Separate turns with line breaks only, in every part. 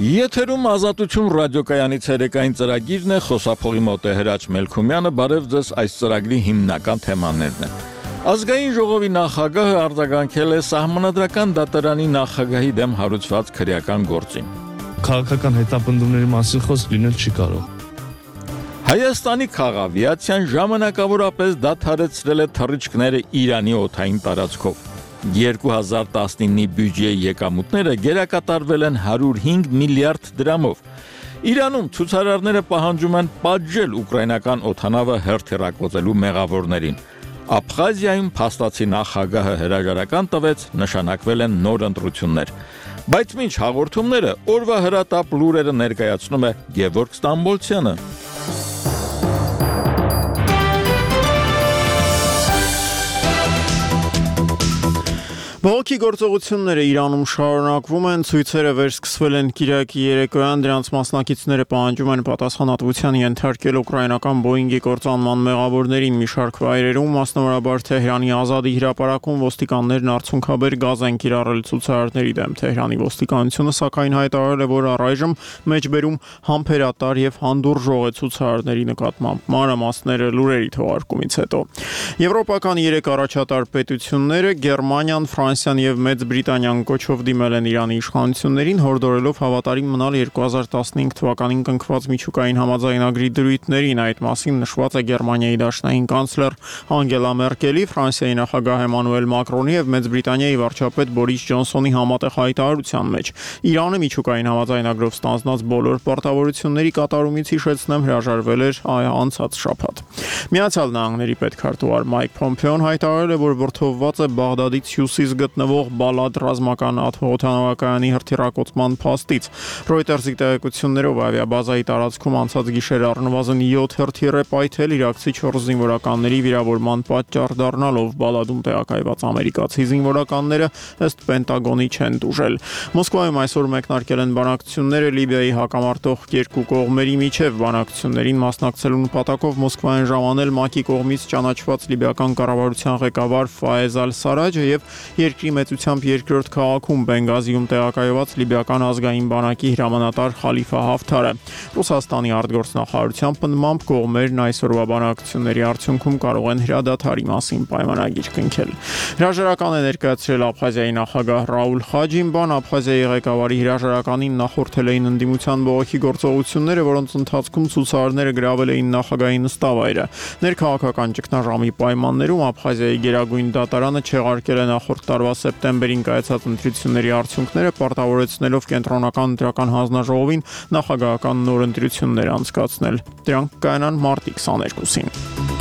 Եթերում ազատություն ռադիոկայանից երեկային ծրագիրն է, խոսափողի մոտ է Հրաչ Մելքումյանը, բարև ձեզ, այս ծրագրի հիմնական թեմաներն են։ Ազգային ժողովի նախագահը արձագանքել է Սահմանադրական դատարանի նախագահի դեմ հարուցված քրեական գործին։
Քաղաքական հետապնդումների մասին խոսք լինել չի կարող։
Հայաստանի քաղավիացիան ժամանակավորապես դադարեցրել է թռիչքները Իրանի օդային տարածքով։ 2019-ի բյուջեի եկամուտները գերակատարվել են 105 միլիարդ դրամով։ Իրանում ցուցարարները պահանջում են պատժել ուկրաինական օդանավը հերթիռակոծելու մեղավորներին։ Աբխազիայում փաստացի նախագահը հրաժարական տվեց, նշանակվել են նոր ընտրություններ։ Բայց մինչ հաղորդումները օրվա հրատապ լուրերը ներկայացնում է Գևորգ Ստամբոլցյանը։
Բողոքի գործողությունները Իրանում շարունակվում են, ցույցերը վերսկսվել են Կիրակի երեկոյան, դրանց մասնակիցները պահանջում են պատասխանատվության ենթարկել ուկրաինական Boeing-ի կործանման մեղավորներին մի շարք վայրերում, մասնավորաբար Թեհրանի Ազադի հրապարակում ոստիկաններն արցունքաբեր գազ են կիրառել ցուցարարների դեմ։ Թեհրանի ոստիկանությունը սակայն հայտարարել է, որ առայժմ մեջբերում համբերատար եւ հանդուրժող է ցուցարարների նկատմամբ։ Մանրամասները լուրերի թողարկումից հետո։ Եվրոպական 3 առաջատար պետությունները Գերմանիան, Ֆրանսիան եւ Մեծ Բրիտանիան կոչով դիմել են Իրանի իշխանություններին, հորդորելով հավատարիմ մնալ 2015 թվականին կնքված միջուկային համաձայնագրի դրույթներին։ Այդ մասին նշված է Գերմանիայի դաշնային կանցլեր Անգելա Մերկելի, Ֆրանսիայի նախագահ Էմանուել Մակրոնի եւ Մեծ Բրիտանիայի վարչապետ Բորիս Ջոնսոնի համատեղ հայտարարության մեջ։ Իրանը միջուկային համաձայնագրով ստանձնած բոլոր պարտավորությունների կատարումից հիշեցնեմ հրաժարվել էր անցած շաբաթ։ Միացյալ Նահանգների պետքարտուղար Մայք Փոմփեոն հայտարարել է, որ որդովված է Բաղդադից հյուսիս գտնվող Բալադ ռազմական օդանավակայանի հրթիռակոծման փաստից։ Reuters-ի տեղեկություններով ավիաբազայի տարածքում անցած գիշեր առնվազն 7 հրթիռ է պայթել, իրաքցի 4 զինվորականների վիրավորման պատճառ դառնալով։ Բալադում տեղակայված ամերիկացի զինվորականները ըստ Պենտագոնի չեն տուժել։ Մոսկվայում այսօր մեկնարկել են բանակցությունները Լիբիայի հակամարտող երկու կողմերի միջև։ Բանակցություններին մասնակցելու նպատակով Մոսկվայում ժամանել ՄԱԿ-ի կողմից ճանաչված լիբիական կառավարության ղեկավար Ֆայեզ Ալ-Սարաջը եւ երկրի մեծությամբ երկրորդ քաղաքում Բենգազիում տեղակայված լիբիական ազգային բանակի հրամանատար Խալիֆա Հաֆթարը։ Ռուսաստանի արտգործնախարարության պնդմամբ կողմերն այսօրվա բանակցությունների արդյունքում կարող են հրադադարի մասին պայմանագիր կնքել։ Հրաժարական է ներկայացրել Աբխազիայի նախագահ Ռաուլ Խաջիմբան։ Աբխազիայի ղեկավարի հրաժարականին նախորդել էին ընդդիմության բողոքի գործողությունները, որոնց ընթացքում ցուցարարները գրավել էին նախագահի նստավայրը։ Ներքաղաքական ճգնաժամի պայմաններում Աբխազիայի գերագույն դատարանը չեղարկել է նախորդ տարվա սեպտեմբերին կայացած ընտրությունների արդյունքները, պարտավորեցնելով կենտրոնական ընտրական հանձնաժողովին նախագահական նոր ընտրություններ անցկացնել։ Դրանք կայանան մարտի 22-ին։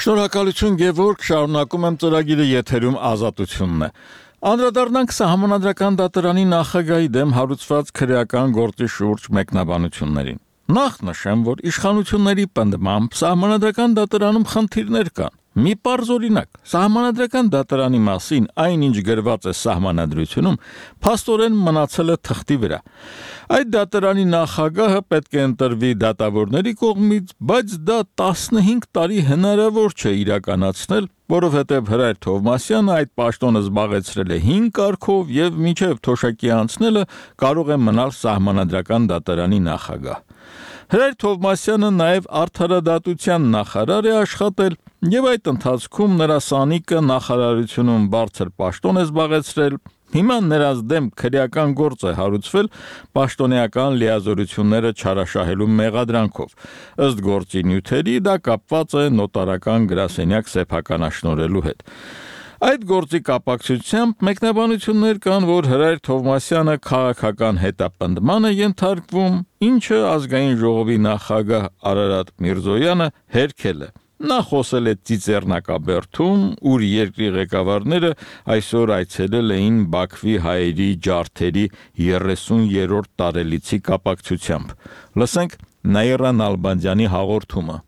Շնորհակալություն Գևորգ, շարունակում եմ ծրագիրը, եթերում ազատությունն է։ Անդրադառնանք Սահմանադրական դատարանի նախագահի դեմ հարուցված քրեական գործի շուրջ մեկնաբանություններին։ Նախ նշեմ, որ իշխանությունների պնդմամբ Սահմանադրական դատարանում խնդիրներ կան։ Մի պարզ օրինակ, Սահմանադրական դատարանի մասին այնինչ գրված է Սահմանադրությունում, փաստորեն մնացել է թղթի վրա։ Այդ դատարանի նախագահը պետք է ընտրվի դատավորների կողմից, բայց դա 15 տարի հնարավոր չէ իրականացնել, որովհետև Հրայր Թովմասյանը այդ պաշտոնը զբաղեցրել է 5 կարգով եւ մինչեւ թոշակի անցնելը կարող է մնալ Սահմանադրական դատարանի նախագահ։ Հրայր Թովմասյանը նաև արդարադատության նախարար է աշխատել եւ այդ ընթացքում նրա սանիկը նախարարությունում բարձր պաշտոն է զբաղեցրել։ Հիմա նրանց դեմ քրեական գործ է հարուցվել պաշտոնեական լիազորությունները չարաշահելու մեղադրանքով։ Ըստ գործի նյութերի դա կապված է նոտարական գրասենյակ սեփականաշնորհելու հետ։ Այդ գործի կապակցությամբ մեկնաբանություններ կան, որ Հրայր Թովմասյանը քաղաքական հետապնդման է ենթարկվում, ինչը ազգային ժողովի նախագահ Արարատ Միրզոյանը հերքել է։ Նա խոսել է Ծիծեռնակաբերդում, ուր երկրի ղեկավարները այսօր այցելել էին Բաքվի հայերի ջարդերի 30-րդ տարելիցի կապակցությամբ։ Լսենք Նաիրա Նալբանդյանի հաղորդումը։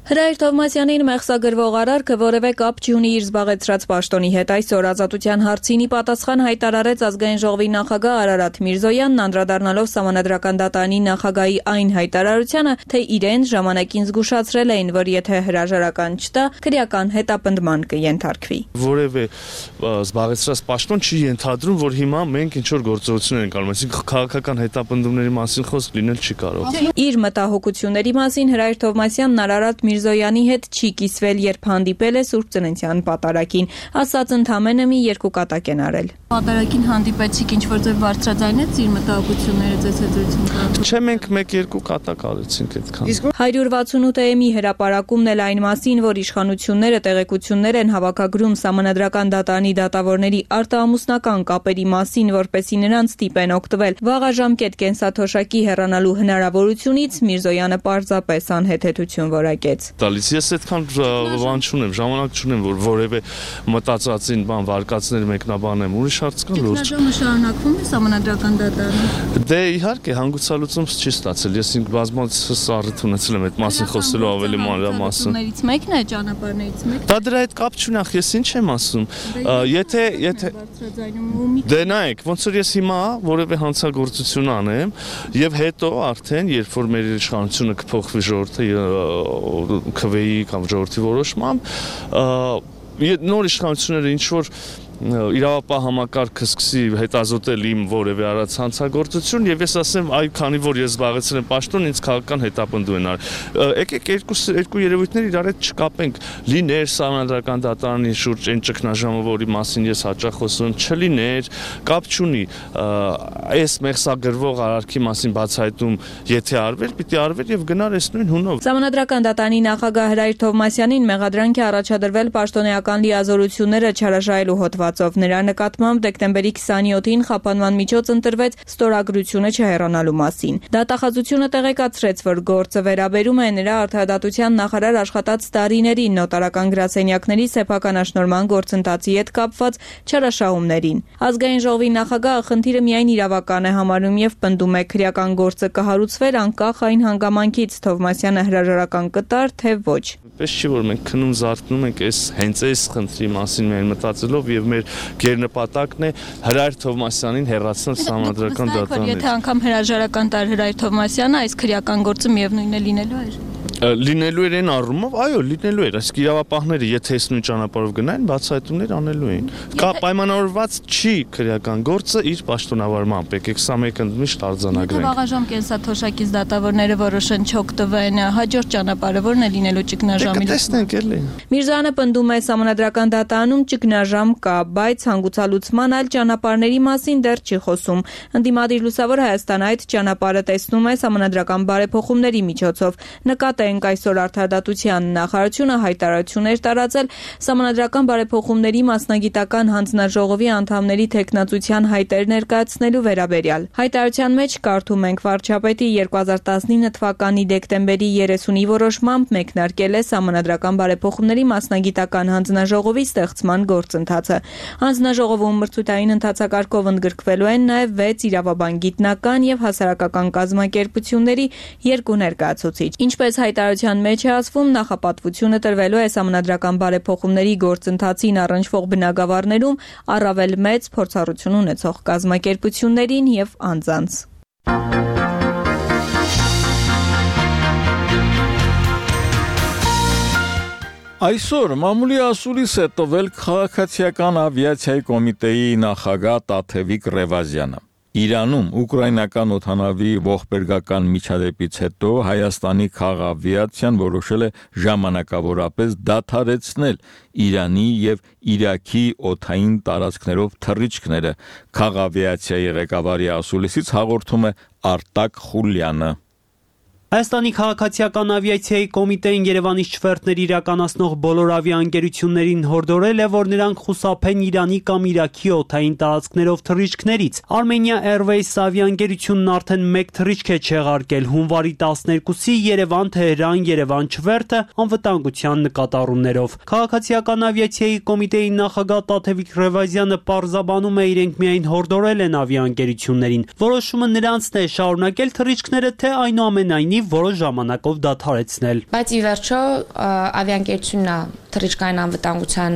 Հրայր Թովմասյանին մեղսագրվող արարքը որևէ կապ չունի իր զբաղեցրած պաշտոնի հետ։ Այսօր Ազատության հարցինի պատասխան հայտարարեց Ազգային ժողովի նախագահ Արարատ Միրզոյանն, անդրադառնալով Սահմանադրական դատարանի նախագահի այն հայտարարությանը, թե իրեն ժամանակին զգուշացրել էին, որ եթե հրաժարական չտա, քրեական հետապնդման կենթարկվի։
Որևէ զբաղեցրած պաշտոն չի ենթադրում, որ հիմա մենք ինչ-որ գործողություններ ենք անում, այսինքն քաղաքական հետապնդումների մասին խոսք լինել չի կարող։
Իր մտահոգությունների մասին Հրայր Թովմասյանն Արարատ Միրզոյանի հետ չի կիսվել, երբ հանդիպել է Սուրբ Ծննդյան պատարագին, ասաց ընդամենը մի 2 կատակ են արել։
Պատարագին հանդիպեցիք, ինչ-որ ձեր բարձրաձայնեց իր մտահոգությունները ձեզ հետ զրույցում կրած։
Չէ, մենք 1-2 կատակ արեցինք այդքան։
168-ի հրապարակումն էլ այն մասին, որ իշխանությունները տեղեկություններ են հավաքագրում Սահմանադրական դատարանի դատավորների արտահամուսնական կապերի մասին, որպեսզի նրանց ստիպեն օգտվել վաղաժամկետ կենսաթոշակի հեռանալու հնարավորությունից, Միրզոյանը պարզապես անհեթեթություն որակեց։
Տալիս ես այդքան բան չունեմ, ժամանակ չունեմ, որ որևէ մտածածին բան վարկածներ մեկնաբանեմ, ուրիշ հարց կա լուրջ։
Ճգնաժամը շարունակվում է Սահմանադրական դատարանում։
Դե իհարկե հանգուցալուծում չի ստացել, ես ինքս բազմացած առիթ ունեցել եմ այդ մասին խոսելու ավելի մանրամասն։
Ներից մեկն է, ճանապարհներից մեկն։
Դա դրա հետ կապ չունի, ես ինչ եմ ասում։ Եթե Դե նայեք, ոնց որ ես հիմա որևէ հանցագործություն անեմ եւ հետո արդեն երբ որ մեր իշխանությունը կփոխվի ժողովրդի քվեի կամ ժողովրդի որոշմամբ նոր իշխանությունները ինչ որ իրավապահ համակարգը սկսի հետազոտել իմ որևէ արած հանցագործություն եւ ես ասեմ այ քանի որ ես զբաղեցրել եմ պաշտոն ինձ քաղաքական հետապնդում են արել եկեք երկու երևույթներ իրար հետ չկապենք լիներ Սահմանադրական դատարանի շուրջ այն ճգնաժամը որի մասին ես հաճախ խոսում եմ չլիներ կապ չունի այս մեղսագրվող արարքի մասին բացահայտում եթե արվեր պիտի արվեր եւ գնար այս նույն հունով
Սահմանադրական դատարանի նախագահ Հրայր Թովմասյանին մեղադրանք է առաջադրվել պաշտոնեական լիազորությունները չարաշահելու հոդվածով նրա նկատմամբ դեկտեմբերի 27-ին խափանման միջոց ընտրվեց ստորագրությունը չհեռանալու մասին։ Դատախազությունը տեղեկացրեց, որ գործը վերաբերում է նրա արդարադատության նախարար աշխատած տարիներին նոտարական գրասենյակների սեփականաշնորհման գործընթացի հետ կապված չարաշահումներին։ Ազգային ժողովի նախագահը խնդիրը միայն իրավական է համարում եւ պնդում է քրեական գործը կհարուցվեր անկախ այն հանգամանքից Թովմասյանը հրաժարական կտար թե ոչ։
Պես չի որ մենք քնում զարթնում ենք հենց այս խնդրի մասին միայն մտածելով եւ մեր գերնպատակն է Հրայր Թովմասյանին հեռացնել Սահմանադրական դատարանից։
Եթե անգամ հրաժարական տար Հրայր Թովմասյանը, այս քրեական գործը միևնույնն է լինելու էր։
Լինելու էր այն առումով, այո, լինելու էր, այսինքն իրավապահները եթե այս նույն ճանապարհով գնային, բացահայտումներ անելու էին։ Կա պայմանավորված չի քրեական գործը իր պաշտոնավարմամբ, եկեք սա մեկ ընդմիշտ արձանագրենք։
Վաղաժամ կենսաթոշակից դատավորները որոշեն չօգտվեն, հաջորդ ճանապարհը որն է լինելու ճգնաժամի։
Տեսնենք էլի։
Միրզոյանը պնդում է Սահմանադրական դատարանում ճգնաժամ կա, բայց հանգուցալուծման այլ ճանապարհների մասին դեռ չի խոսում։ Ընդդիմադիր Լուսավոր Հայաստանը այդ ճանապարհը տեսնում է Սահմանադրական բարեփոխումների միջոցով։ Նկատենք այսօր արդարադատության նախարարությունը հայտարարություններ տարածել Սահմանադրական բարեփոխումների մասնագիտական հանձնաժողովի անդամների թեկնածության հայտեր ներկայացնելու վերաբերյալ։ Հայտարարության մեջ կարդում ենք վարչապետի 2019 թվականի դեկտեմբերի 30-ի որոշմամբ մեկնարկել է Սահմանադրական բարեփոխումների մասնագիտական հանձնաժողովի ստեղծման գործընթացը։ Հանձնաժողովում մրցութային ընթացակարգով ընդգրկվելու են նաև 6 իրավաբան գիտնական եւ հասարակական կազմակերպությունների 2 ներկայացուցիչ։ Ինչպես հայտարարության մեջ է ասվում, նախապատվությունը տրվելու է Սահմանադրական բարեփոխումների գործընթացին առնչվող բնագավառներում առավել մեծ փորձառություն ունեցող կազմակերպություններին եւ անձանց։
Այսօր մամուլի ասուլիս է տվել քաղաքացիական ավիացիայի կոմիտեի նախագահ Տաթևիկ Ռևազյանը։ Իրանում ուկրաինական օդանավի ողբերգական միջադեպից հետո Հայաստանի քաղավիացիան որոշել է ժամանակավորապես դադարեցնել Իրանի եւ Իրաքի օդային տարածքներով թռիչքները։ Քաղավիացիայի ղեկավարի ասուլիսից հաղորդում է Արտակ Խուլյանը։
Հայաստանի քաղաքացիական ավիացիայի կոմիտեին Երևանից չվերթներ իրականացնող բոլոր ավիաընկերություններին հորդորել է, որ նրանք խուսափեն Իրանի կամ Իրաքի օդային տարածքներով թռիչքներից։ Armenia Airways ավիաընկերությունն արդեն 1 թռիչք է չեղարկել հունվարի 12-ի Երևան-Թեհրան Երևան չվերթը անվտանգության նկատառումներով։ Քաղաքացիական ավիացիայի կոմիտեի նախագահ Տաթևիկ Ռևազյանը պարզաբանում է, իրենք միայն հորդորել են ավիաընկերություններին։ Որոշումը նրանցն է շարունակել թռիչքները, թե այնուամենայնիվ կլինի որոշ ժամանակով դադարեցնել։
Բայց ի վերջո ավիաընկերությունն է թռիչքային անվտանգության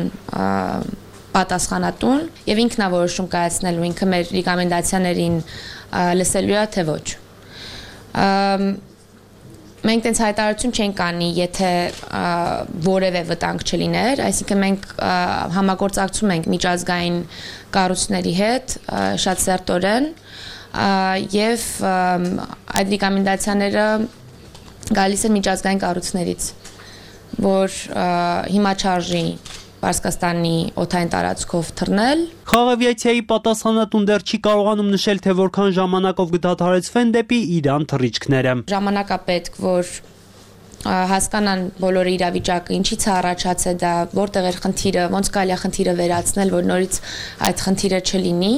պատասխանատուն եւ ինքն է որոշում կայացնելու, ինքը մեր ռեկոմենդացիաներին լսելու է թե ոչ։ Մենք տենց հայտարարություն չենք անի, եթե որևէ վտանգ չլիներ, այսինքն մենք համագործակցում ենք միջազգային կառույցների հետ շատ սերտորեն եւ այդ ռեկոմենդացիաները գալիս են միջազգային կառույցներից, որ հիմա չարժի Պարսկաստանի օդային տարածքով թռնել։
Խաղավիացիայի պատասխանատուն դեռ չի կարողանում նշել, թե որքան ժամանակով կդադարեցվեն դեպի Իրան թռիչքները։
Ժամանակ է պետք, որ հասկանան բոլորը իրավիճակը, ինչից է առաջացել դա, որտեղ էր խնդիրը, ոնց կարելի է խնդիրը վերացնել, որ նորից այդ խնդիրը չլինի։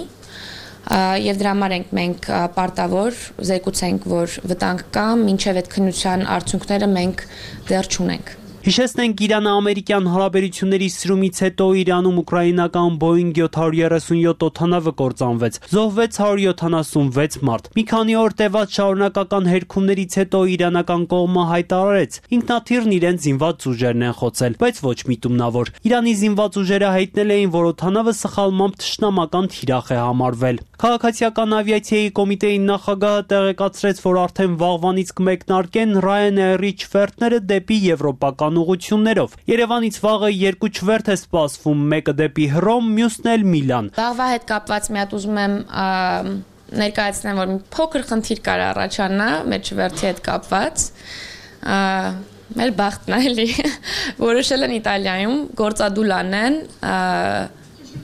Եվ դրա համար մենք պարտավոր զեկուցենք, որ վտանգ կա, մինչև այդ քննության արդյունքները մենք դեռ չունենք։
Հիշեցնենք Իրան-ամերիկյան հարաբերությունների սրումից հետո Իրանում ուկրաինական Boeing 737 օդանավը կործանվեց, զոհվեց 176 մարդ։ Մի քանի օր տևած շարունակական հերքումներից հետո իրանական կողմը հայտարարեց, ինքնաթիռն իրենց զինված ուժերն են խոցել, բայց ոչ միտումնավոր։ Իրանի զինված ուժերը հայտնել էին, որ օդանավը սխալմամբ թշնամական թիրախ է համարվել։ Քաղաքացիական ավիացիայի կոմիտեի նախագահը տեղեկացրեց, որ արդեն վաղվանից կմեկնարկեն Ryanair-ի չվերթները դեպի եվրոպական ուղղություններով։ Երևանից վաղը 2 չվերթ է սպասվում, մեկը դեպի Հռոմ, մյուսն էլ Միլան։
Վաղվա հետ կապված մի հատ ուզում եմ ներկայացնեմ, որ մի փոքր խնդիր կար առաջանա մեր չվերթի հետ կապված։ Մեր բախտն է էլի։ Որոշել են Իտալիայում գործադուլ անեն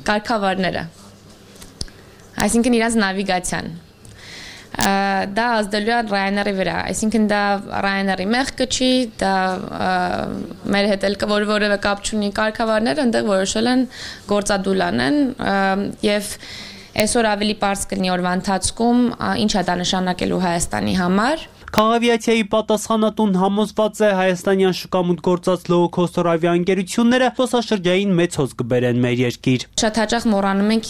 կարգավարները։ Այսինքն իրաց նավիգացիան։ Դա ազդելու է Ryanair-ի վրա, այսինքն դա Ryanair-ի մեղքը չի, դա մեր հետ էլ որևէ կապ չունի կարգավարները, այնտեղ որոշել են գործադուլ անեն եւ այսօր ավելի պարզ կլինի օրվա ընթացքում ինչ է դա նշանակելու Հայաստանի համար։
Քաղաքավիացիայի պատասխանատուն համոզված է հայաստանյան շուկամուտք գործած low-cost ավիաընկերությունները զբոսաշրջային մեծ հոս կբերեն մեր երկիր։
Շատ հաճախ մոռանում ենք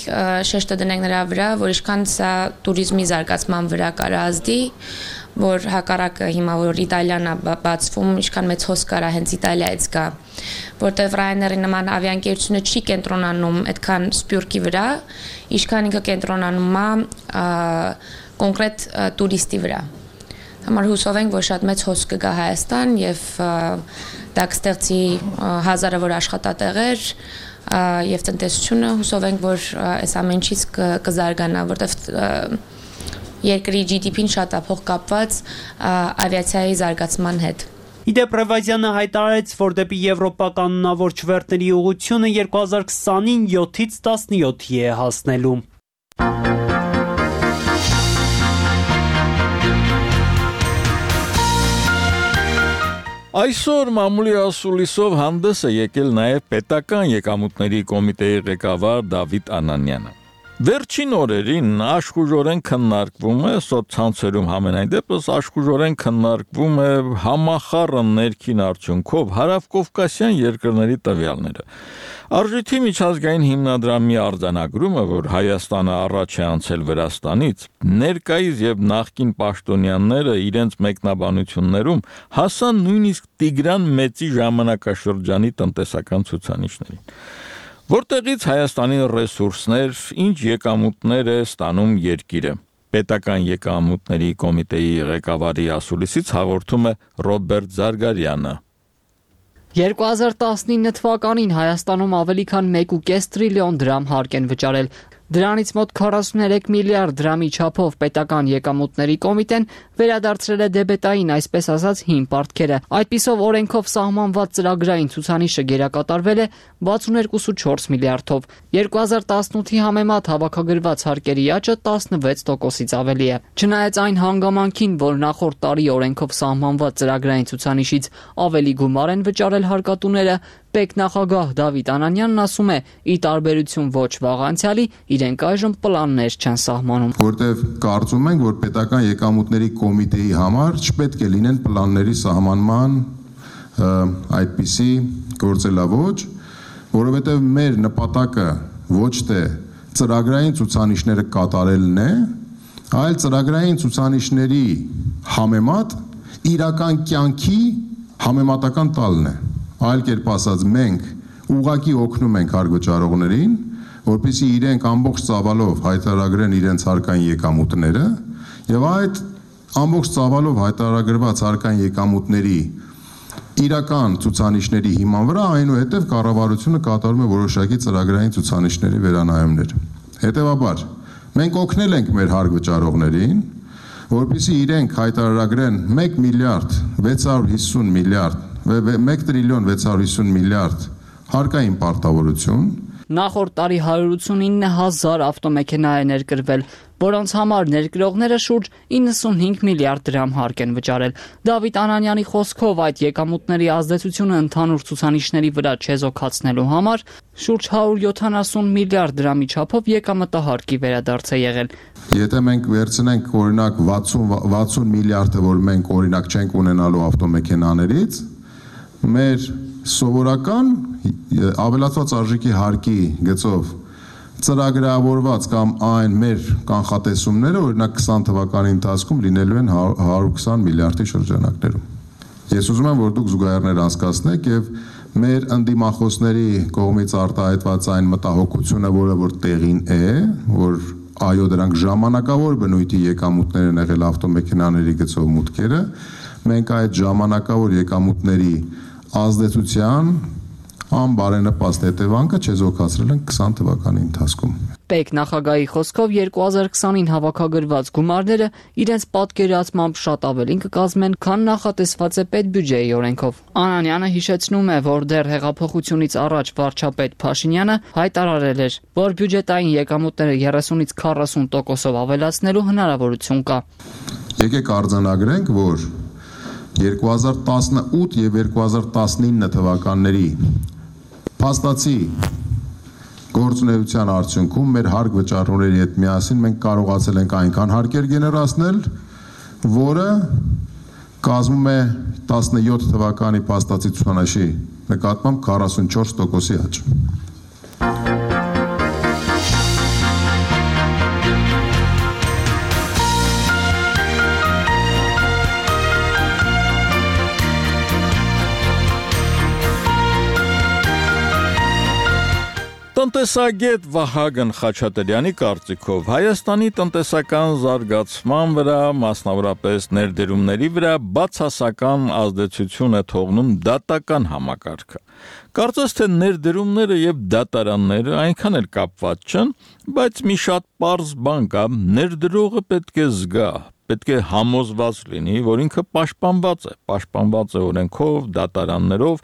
շեշտը դնենք նրա վրա, որ ինչքան սա туриզմի զարգացման վրա կարա ազդի, որ հակառակը հիմա որ Իտալիան է բացվում, ինչքան մեծ հոս կարա հենց Իտալիայից գա, որտեղ Ryanair-ի նման ավիաընկերությունը չի կենտրոնանում այդքան սպյուրքի վրա, ինչքան ինքը կենտրոնանում է կոնկրետ տուրիստի վրա։ Համար հուսով ենք, որ շատ մեծ հոս կգա Հայաստան եւ դա կստեղծի հազարավոր աշխատատեղեր եւ տնտեսությունը հուսով ենք, որ այս ամենից կզարգանա, որտեղ երկրի GDP-ն շատ է փոխկապված ավիացիայի զարգացման հետ։
Իդեպ Ռևազյանը հայտարարեց, որ դեպի Եվրոպա կանոնավոր չվերթների ուղղությունը 2020-ին 7-ից 17-ի է հասնելու։
Այսօր մամուլի ասուլիսով հանդես է եկել նաև պետական եկամուտների կոմիտեի ղեկավար Դավիթ Անանյանը։ Վերջին օրերին աշխուժորեն քննարկվում է սոցցանցերում համենայն դեպս աշխուժորեն քննարկվում է համախառն ներքին արդյունքով հարավկովկասյան երկրների տվյալները։ Արժույթի միջազգային հիմնադրամի արձանագրումը, որ Հայաստանը առաջ է անցել Վրաստանից, ներկայիս եւ նախկին պաշտոնյաները իրենց մեկնաբանություններում հասան նույնիսկ Տիգրան Մեծի ժամանակաշրջանի տնտեսական ցուցանիշներին։ Որտեղից Հայաստանի ռեսուրսներ, ինչ եկամուտներ է ստանում երկիրը։ Պետական եկամուտների կոմիտեի ղեկավարի ասուլիսից հաղորդում է Ռոբերտ Զարգարյանը։
2019 թվականին Հայաստանում ավելի քան 1.5 տրիլիոն դրամ հարկ են վճարել։ Դրանից մոտ 43 միլիարդ դրամի չափով պետական եկամուտների կոմիտեն վերադարձրել է դեբետային, այսպես ասած, հին պարտքերը։ Այդպիսով օրենքով սահմանված ծրագրային ցուցանիշը գերակատարվել է 62.4 միլիարդով։ 2018-ի համեմատ հավաքագրված հարկերի աճը 16%-ից ավելի է։ Չնայած այն հանգամանքին, որ նախորդ տարի օրենքով սահմանված ծրագրային ցուցանիշից ավելի գումար են վճարել հարկատուները, Պետնախագահ Դավիթ Անանյանն ասում է, ի տարբերություն ոչ վաղ անցյալի, իրենք այժմ պլաններ չեն սահմանում։
Որտեվ կարծում ենք, որ պետական եկամուտների կոմիտեի համար չպետք է լինեն պլանների սահմանման այդպիսի գործելավոճ, որովհետև մեր նպատակը ոչ թե ծրագրային ցուցանիշները կատարելն է, այլ ծրագրային ցուցանիշների համեմատ իրական կյանքի համեմատական տալն է։ Այլ կերպ ասած, մենք ուղղակի օգնում ենք հարգվճարողներին, որպեսզի իրենք ամբողջ ծավալով հայտարարեն իրենց հարկային եկամուտները, եւ այդ ամբողջ ծավալով հայտարարված հարկային եկամուտների իրական ցուցանիշների հիման վրա այնուհետև կառավարությունը կատարում է որոշակի ծրագրային ցուցանիշների վերանայումներ։ Հետևաբար, մենք օգնել ենք մեր հարգվճարողներին, որպեսզի իրենք հայտարարեն 1 միլիարդ 650 միլիարդ 1 տրիլիոն 650 միլիարդ հարկային պարտավորություն։
Նախորդ տարի 189,000 ավտոմեքենա է ներկրվել, որոնց համար ներկրողները շուրջ 95 միլիարդ դրամ հարկ են վճարել։ Դավիթ Անանյանի խոսքով այդ եկամուտների ազդեցությունը ընդհանուր ցուցանիշների վրա չեզոքացնելու համար շուրջ 170 միլիարդ դրամի չափով եկամտահարկի վերադարձ է եղել։
Եթե մենք վերցնենք օրինակ 60 միլիարդը, որ մենք օրինակ չենք ունենալու ավտոմեքենաներից, մեր սովորական ավելացված արժեքի հարկի գծով ծրագրավորված կամ այն մեր կանխատեսումները օրինակ 20 թվականի ընթացքում լինելու են 120 միլիարդի շրջանակներում։ Ես ուզում եմ, որ դուք զուգահեռներ անցկացնեք եւ մեր ընդդիմախոսների կողմից արտահայտված այն մտահոգությունը, որը որ տեղին է, որ այո դրանք ժամանակավոր բնույթի եկամուտներ են եղել ավտոմեքենաների գծով մուտքերը, մենք այդ ժամանակավոր եկամուտների ազդեցության անբարենպաստ հետևանքը չեզոքացրել են 20 թվականի ընթացքում։
ՊԵԿ նախագահի խոսքով 2020-ին հավաքագրված գումարները իրենց պատկերացմամբ շատ ավելին կկազմեն, քան նախատեսված է պետբյուջեի օրենքով։ Անանյանը հիշեցնում է, որ դեռ հեղափոխությունից առաջ վարչապետ Փաշինյանը հայտարարել էր, որ բյուջետային եկամուտները 30-ից 40%-ով ավելացնելու հնարավորություն կա։
Եկեք արձանագրենք, որ 2018 եւ 2019 թվականների փաստացի գործունեության արդյունքում մեր հարկ վճարողների հետ միասին մենք կարողացել ենք այնքան հարկեր գեներացնել, որը կազմում է 17 թվականի փաստացի ցուցանիշի նկատմամբ 44%-ի աճ։
Տնտեսագետ Վահագն Խաչատրյանի կարծիքով Հայաստանի տնտեսական զարգացման վրա, մասնավորապես ներդրումների վրա բացասական ազդեցություն է թողնում դատական համակարգը։ Կարծես թե ներդրումները եւ դատարանները այնքան էլ կապված չեն, բայց մի շատ պարզ բան կա, ներդրողը պետք է զգա, պետք է համոզված լինի, որ ինքը պաշտպանված է օրենքով, դատարաններով,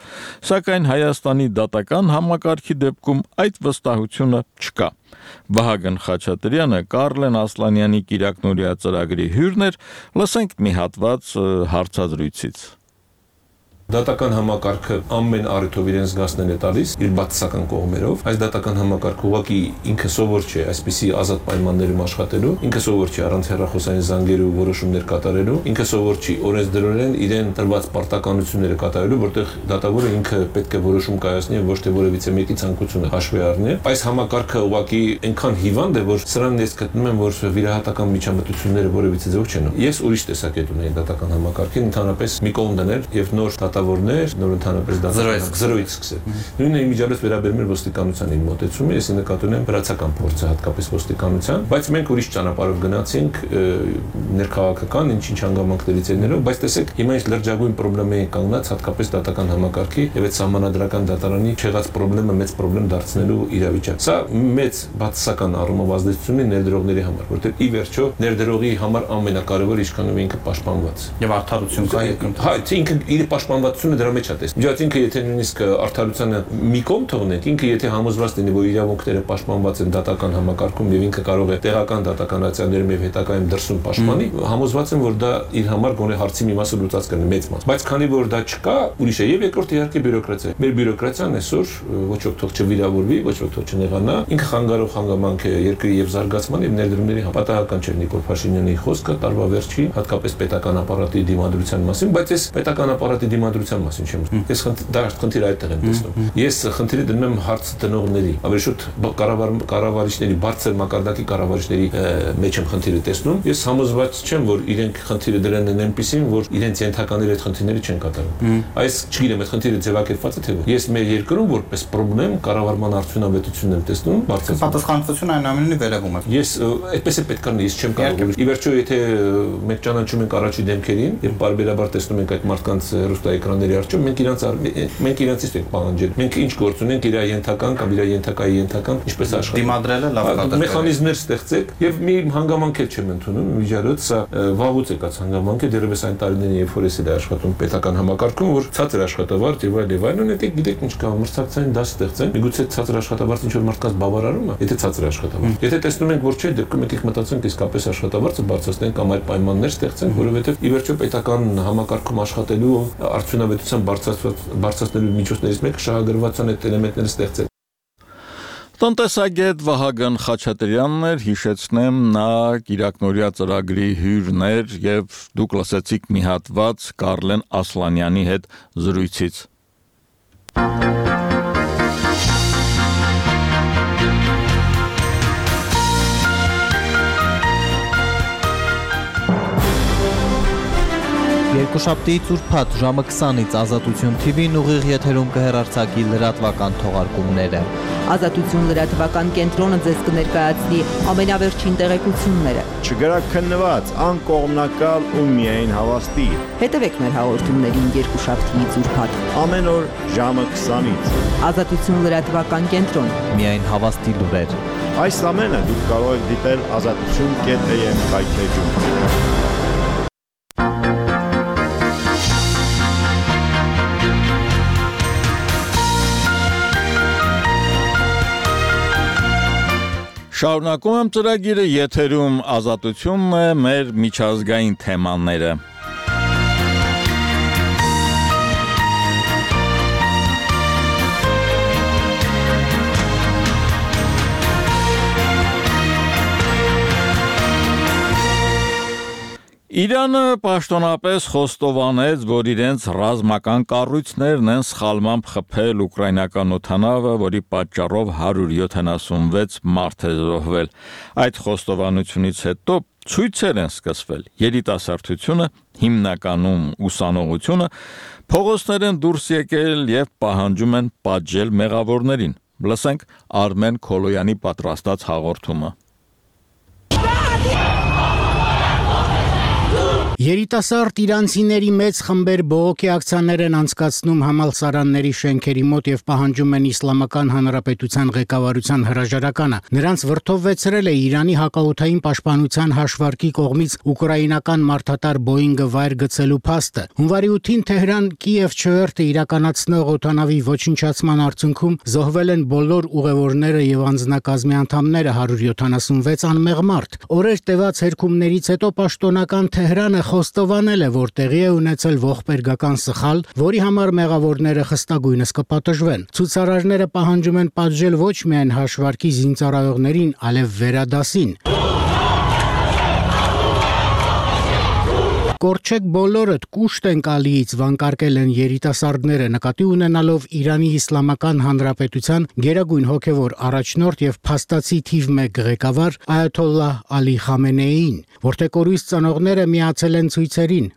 սակայն Հայաստանի դատական համակարգի դեպքում այդ վստահությունը չկա։ Վահագն Խաչատրյանը Կարլեն Ասլանյանի Կիրակնորիա ծրագրի հյուրն էր, լսենք մի հատված հարցազրույցից։
Դատական համակարգը ամեն առիթով իրեն զգացնել է տալիս իր բացասական կողմերով, այս դատական համակարգը ուղղակի ինքը սովոր չէ այսպիսի ազատ պայմաններում աշխատելու, ինքը սովոր չի առանց հեռախոսային զանգերու որոշումներ կատարելու, ինքը սովոր չի օրենսդրորեն իրեն տրված պարտականությունները կատարելու, որտեղ դատավորը ինքը պետք է որոշում կայացնի ոչ թե որևիցե մեկի ցանկությունը հաշվի առնի։ Այս համակարգը ուղղակի այնքան հիվանդ է, որ սրանն ես գտնում եմ, որ վիրահատական միջամտությունները որևիցե ձև չեն։ Ես ուրիշ տեսակետ ունեի դատական համակարգին, ընդհանրապես մի կողմ դնել եւ նոր դատավորներ, նոր ընդհանրապես զրոյից սկսել։ Նույնը իմիջիալից վերաբերում էր ոստիկանությանին մոտեցումը, ես նկատում եմ վրացական փորձը հատկապես ոստիկանության, բայց մենք ուրիշ ճանապարհով գնացինք ներքաղաքական ինչ-ինչ հանգամանքներից ելնելով, բայց տեսեք, հիմա այս լրջագույն խնդրի են կանգնած հատկապես դատական համակարգի եւ այդ սահմանադրական դատարանի չեղած խնդրը մեծ խնդրեմ դարձնելու իրավիճակ։ Սա մեծ բացասական առումով ազդեցություն ունի ներդրողների համար, որտեղ ի վերջո ներդրողի համար ամենակարևորը ինչքանով ինքը պաշտպանված եւ արդարություն կա երկրում։ Հա, ինքը իր պաշտպանվածությունը դրա մեջ է տեսնում։ Իհարկե ինքը եթե նույնիսկ արդարությանը մի կողմ թողնենք, ինքը եթե համոզված լինի, որ իրավունքները պաշտպանված են դատական համակարգում եւ ինքը կարող է տեղական դատականացիաներում եւ հետագայում դրսում պաշտպանի, համոզված եմ, որ դա իր համար գոնե հարցի մի մասը լուծած կլինի մեծ մաս։ Բայց քանի որ դա չկա, ուրիշ է եւ երկրորդ իհարկե բյուրոկրատիա։ Մեր բյուրոկրատիան այսօր ոչ ոք թող չվիրավորվի, ոչ ոք թող չնեղանա, ինքը խանգարող հանգամանք է երկրի եւ զարգացման եւ ներդրումների պատահական չէ Նիկոլ Փաշինյանի խոսքը տարվա վերջին, հատկապես պետական ապարատի դիմադրության մասին, բայց այս պետական ապարատի արտադրության մասին չեմ խոսում։ Ես դա խնդիրը այդտեղ եմ տեսնում։ Ես խնդիրը դնում եմ հարց տնողների, ավելի շուտ կառավարիչների, բարձր մակարդակի կառավարիչների մեջ եմ խնդիրը տեսնում։ Ես համոզված չեմ, որ իրենք խնդիրը դրան են այնպեսին, որ իրենց ենթականների այդ խնդիրները չեն կատարում։ Այս չգիտեմ, այդ խնդիրը ձևակերպված է թե ոչ։ Ես մեր երկրում որպես պրոբլեմ կառավարման արդյունավետությունն եմ տեսնում, բարձր
պատասխանատվությունը այն ամենի վերևում է։
Ես այդպես է պետք է լինի, ես չեմ կարող։ Ի վերջո, եթե մենք ճանաչում ենք առաջի դեմքերին եւ բարբերաբար տեսնում ենք այդ մարդկանց հեռուստաէկրանների առջեւ, մենք իրանցից ենք պահանջել։ Մենք ինչ գործ ունենք իր ենթական կամ իր ենթակայի ենթական ինչպես աշխատել։
Դիմադրելը լավ կատարել։
Մեխանիզմներ ստեղծեք եւ մի հանգամանք էլ չեմ ընդունում, միջարոց սա վաղուց եկած հանգամանք է, դեռևս այն տարիներին, երբ որ ես էլ աշխատում պետական համակարգում, որ ցածր աշխատավարձ եւ այլն, դե գիտեք ինչ կա, մրցակցային դաս ստեղծեն։ Միգուցե ցածր աշխատավարձ ինչ որ մարդկանց բավարարում է, եթե ցածր աշխատավարձ։ Եթե տեսնում ենք, որ չէ, դեպքում եկեք մտածենք իսկապես աշխատավարձը բարձրացնենք կամ այլ պայմաններ ստեղծենք, որովհետեւ ի վերջո պետական համակարգում աշխատելու արդյունավետության բարձրացնելու միջոցներից մեկը շահագրգռվածության այդ էլեմենտները ստեղծել։
Տնտեսագետ Վահագն Խաչատրյանն էր, հիշեցնեմ, նա Կիրակնորիա ծրագրի հյուրներ եւ դուք լսեցիք մի հատված Կարլեն Ասլանյանի հետ զրույցից։
Երկուշաբթի ծուրփաթ ժամը 20-ից Ազատություն TV-ն ուղիղ եթերում կհեռարձակի լրատվական թողարկումները։
Ազատություն լրատվական կենտրոնը ձեզ կներկայացնի ամենավերջին տեղեկությունները։
Չգրաքննված, անկողմնակալ ու միայն հավաստի։
Հետևեք մեր հաղորդումներին երկուշաբթիից ուրբաթ։
Ամեն օր ժամը 20-ից։
Ազատություն լրատվական կենտրոն։
Միայն հավաստի լուրեր։
Այս ամենը դուք կարող եք դիտել azatutun.am կայքեջում։
Շարունակում եմ ծրագիրը, եթերում Ազատությունն է, մեր միջազգային թեմաները։ Իրանը պաշտոնապես խոստովանեց, որ իրենց ռազմական կառույցներն են սխալմամբ խփել ուկրաինական օդանավը, որի պատճառով 176 մարդ է զոհվել։ Այդ խոստովանությունից հետո ցույցեր են սկսվել։ Երիտասարդությունը, հիմնականում ուսանողությունը, փողոցներ են դուրս եկել եւ պահանջում են պատժել մեղավորներին։ Լսենք Արմեն Քոլոյանի պատրաստած հաղորդումը։
Երիտասարդ իրանցիների մեծ խմբեր բողոքի ակցիաներ են անցկացնում համալսարանների շենքերի մոտ եւ պահանջում են Իսլամական Հանրապետության ղեկավարության հրաժարականը։ Նրանց վրդովվեցրել է Իրանի հակաօդային պաշտպանության հաշվարկի կողմից ուկրաինական մարդատար Boeing-ը վայր գցելու փաստը։ Հունվարի 8-ին Թեհրան-Կիև չվերթը իրականացնող օդանավի ոչնչացման արդյունքում զոհվել են բոլոր ուղևորները եւ անձնակազմի անդամները 176 անմեղ մարդ։ Օրեր տևած հերքումներից հետո պաշտոնական Թեհրանը խոստովանել է, որ տեղի է ունեցել ողբերգական սխալ, որի համար մեղավորները խստագույնս կպատժվեն։ Ցուցարարները պահանջում են պատժել ոչ միայն հաշվարկի զինծառայողներին, այլև վերադասին։ Կորչեք բոլորդ, կուշտ ենք ալիից, վանկարկել են երիտասարդները, նկատի ունենալով Իրանի Իսլամական Հանրապետության գերագույն հոգևոր առաջնորդ եւ փաստացի թիվ 1 ղեկավար Այաթոլլահ Ալի Խամենեիին, որտեղ կորույս ծնողները միացել են ցույցերին։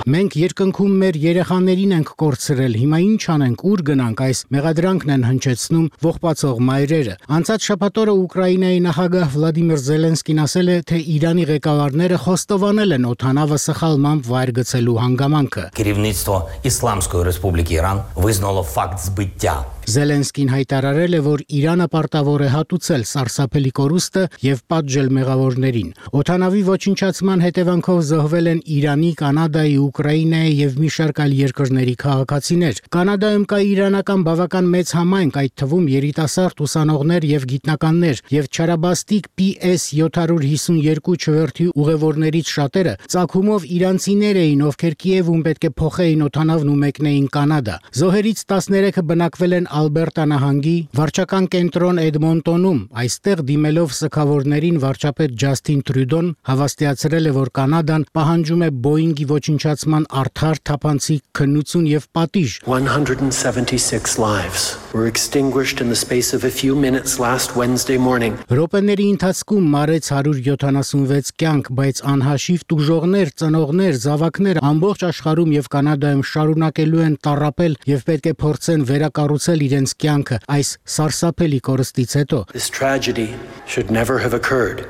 Մենք երկնքում մեր երեխաներին ենք կորցրել, հիմա ինչ անենք, ուր գնանք, այս մեղադրանքն են հնչեցնում ողբացող մայրերը։ Անցած շաբաթ օրը Ուկրաինայի նախագահ Վլադիմիր Զելենսկին ասել է, թե Իրանի ղեկավարները խոստովանել են օդանավը սխալմամբ վայր գցելու հանգամանքը։
Керівництво Ісламської Республіки Іран визнало факт збиття.
Զելենսկին հայտարարել է, որ Իրանը պարտավոր է հատուցել սարսափելի կորուստը եւ պատժել մեղավորներին։ Օդանավի ոչնչացման հետևանքով զոհվել են Իրանի, Կանադայի, Ուկրաինայի եւ մի շարք այլ երկրների քաղաքացիներ։ Կանադայում կա իրանական բավական մեծ համայնք, այդ թվում երիտասարդ ուսանողներ եւ գիտնականներ, եւ չարաբաստիկ PS-752 չվերթի ուղևորներից շատերը ծագումով իրանցիներ էին, ովքեր Կիևում պետք է փոխեին օդանավն ու մեկնեին Կանադա։ Զոհերից 13-ը բնակվել են Ալբերտա նահանգի վարչական կենտրոն Էդմոնտոնում, այստեղ դիմելով սգավորներին վարչապետ Ջասթին Տրյուդոն հավաստիացրել է, որ Կանադան պահանջում է Բոյինգի ոչնչացման արդար, թափանցիկ քննություն եւ պատիժ։
176 lives were extinguished in the space of a few minutes last Wednesday morning.
Րոպեների ընթացքում մարեց 176 կյանք, բայց անհաշիվ տուժողներ, ծնողներ, զավակներ ամբողջ աշխարհում եւ Կանադայում շարունակելու են տառապել եւ պետք է փորձեն վերակառուցել իրենց կյանքը այս սարսափելի կորստից հետո։
This tragedy should never have occurred.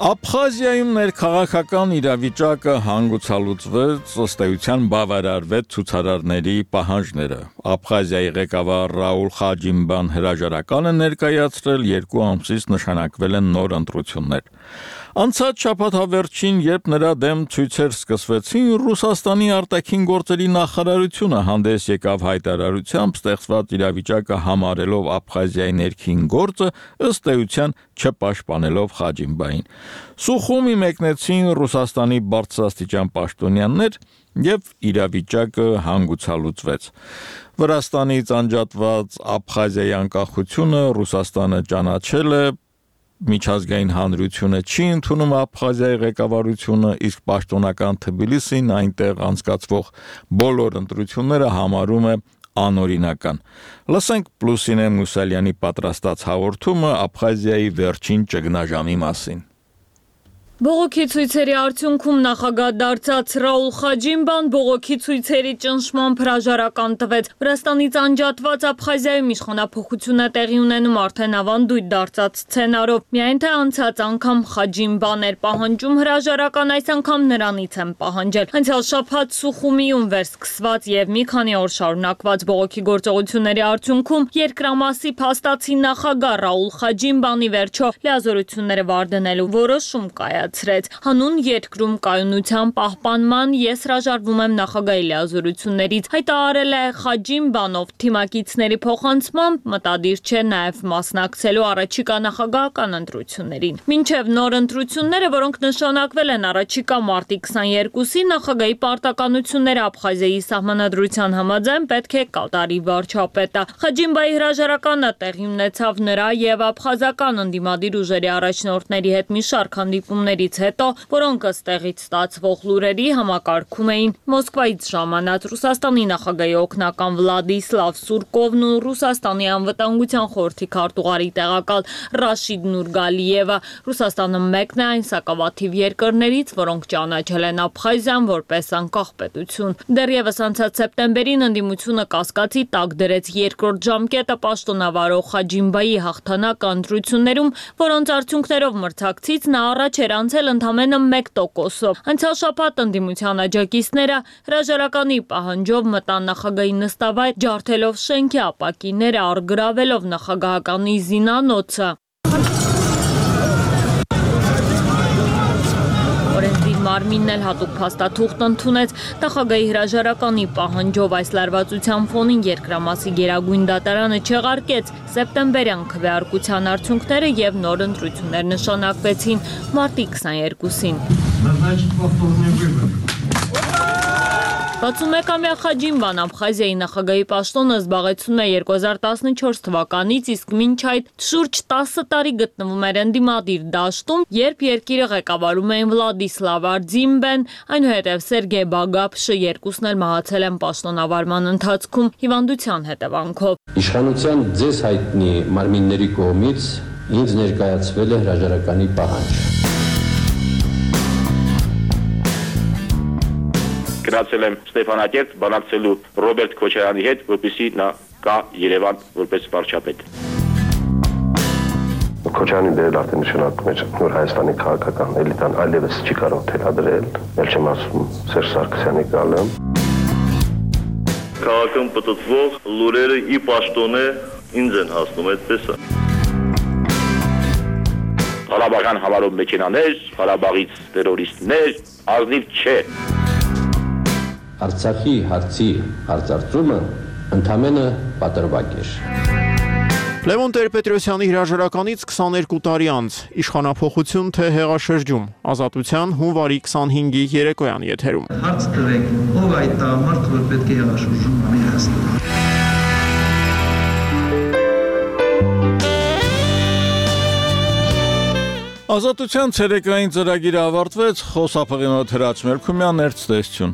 Աբխազիայում ներքաղաքական իրավիճակը հանգուցալուծվեց, ըստ էության բավարարվեց ցուցարարների պահանջները։ Աբխազիայի ղեկավար Ռաուլ Խաջիմբան հրաժարականը ներկայացրել 2 ամսից նշանակվել են նոր ընտրություններ։ Անցած շաբաթավերջին, երբ նրա դեմ ցույցեր սկսվեցին, Ռուսաստանի արտաքին գործերի նախարարությունը հանդես եկավ հայտարարությամբ ստեղծված իրավիճակը համարելով Աբխազիայի ներքին գործը, ըստ էության չպաշտպանելով Խաջիմբային։ Սուխումի մեկնեցին Ռուսաստանի բարձրաստիճան պաշտոնյաներ եւ իրավիճակը հանգուցալուծվեց։ Վրաստանից անջատված Աբխազիայի անկախությունը Ռուսաստանը ճանաչել է, միջազգային հանրությունը չի ընդունում Աբխազիայի ղեկավարությունը, իսկ պաշտոնական Թբիլիսին այնտեղ անցկացվող բոլոր ընտրությունները համարում է անօրինական։ Լսենք Պլուսինե Մուսալյանի պատրաստած հաղորդումը Աբխազիայի վերջին ճգնաժամի մասին։
Բողոքի ցույցերի արդյունքում նախագահ դարձած Ռաուլ Խաջիմբան բողոքի ցույցերի ճնշմամբ հրաժարական տվեց։ Վրաստանից անջատված Աբխազիայում իշխանափոխություն է տեղի ունենում արդեն ավանդույթ դարձած սցենարով։ Միայն թե անցած անգամ Խաջիմբան էր պահանջում հրաժարական, այս անգամ նրանից են պահանջել։ Անցյալ շաբաթ Սուխումիում վերսկսված եւ մի քանի օր շարունակված բողոքի գործողությունների արդյունքում երկրամասի փաստացի նախագահ Ռաուլ Խաջիմբանի վերջո լիազորությունները վարդնելու որոշում կայացրեց։ Հանուն երկրում կայունության պահպանման ես հրաժարվում եմ նախագահի լիազորություններից, հայտարարել է Խաջիմբանով թիմակիցների փոխանցմամբ մտադիր չէ նաև մասնակցելու առաջիկա նախագահական ընտրություններին։ Մինչև նոր ընտրությունները, որոնք նշանակվել են առաջիկա մարտի 22-ին, նախագահի պարտականությունները Աբխազիայի սահմանադրության համաձայն պետք է կատարի վարչապետը։ Խաջիմբայի հրաժարականը տեղի ունեցավ նրա եւ աբխազական ընդդիմադիր ուժերի առաջնորդների հետ մի շարք հանդիպումների հետո, որոնք ըստ տեղից ստացվող լուրերի համակարգում էին Մոսկվայից ժամանած Ռուսաստանի նախագահի օգնական Վլադիսլավ Սուրկովն ու Ռուսաստանի անվտանգության խորհրդի քարտուղարի տեղակալ Ռաշիդ Նուրգալիևը։ Ռուսաստանը մեկն է այն սակավաթիվ երկրներից, որոնք ճանաչել են Աբխազիան որպես անկախ պետություն։ Դեռևս անցած սեպտեմբերին ընդդիմությունը կասկածի տակ դրեց երկրորդ ժամկետը պաշտոնավարող Խաջիմբայի հաղթանակ ընտրություններում, որոնց արդյունքներով մրցակցից նա առաջ էր անցել ընդամենը 1%-ով։ Անցյալ շաբաթ ընդդիմության աջակիցները հրաժարականի պահանջով մտան նախագահի նստավայր, ջարդելով շենքի ապակիները, առգրավելով նախագահականի զինանոցը։ Օրենսդիր մարմինն էլ հատուկ փաստաթուղթ ընդունեց նախագահի հրաժարականի պահանջով։ Այս լարվածության ֆոնին երկրամասի գերագույն դատարանը չեղարկեց սեպտեմբերյան քվեարկության արդյունքները եւ նոր ընտրություններ նշանակվեցին մարտի 22-ին։ 61-ամյա Խաջիմբան Աբխազիայի նախագահի պաշտոնը զբաղեցնում է 2014 թվականից, իսկ մինչ այդ շուրջ 10 տարի գտնվում էր ընդդիմադիր դաշտում, երբ երկիրը ղեկավարում էին Վլադիսլավ Արձիմբեն, այնուհետև Սերգեյ Բագապշը, երկուսն էլ մահացել են պաշտոնավարման ընթացքում հիվանդության հետևանքով։
Իշխանության ձեզ հայտնի մարմինների կողմից ինձ ներկայացվել է հրաժարականի պահանջ։
Գնացել եմ Ստեփանակերտ բանակցելու Ռոբերտ Քոչարյանի հետ, որպեսզի նա գա Երևան որպես վարչապետ։
Քոչարյանի դերը արդեն նշանակում էր նոր Հայաստանի քաղաքական էլիտան այլևս չի կարող թելադրել, ել չեմ ասում Սերժ Սարգսյանի գալը։
Քաղաքում պտտվող լուրերը ի պաշտոնե ինձ են հասնում, այդպես է։
Ղարաբաղյան համարով մեքենաներ, Ղարաբաղից տերորիստներ, ազնիվ չէ։
Արցախի հարցի հարցարծումը ընդամենը պատրվակ էր։
Լևոն Տեր-Պետրոսյանի հրաժարականից 22 տարի անց իշխանափոխություն թե հեղաշրջում Ազատության հունվարի 25-ի երեկոյան եթերում։
Հարց տվեք, ով այդ տղամարդ, որ պետք է հեղաշրջում անի Հայաստանում։
Ազատության ցերեկային ծրագիրը ավարտվեց, խոսափողի մոտ Հրաչ Մերքումյան, ցտեսություն։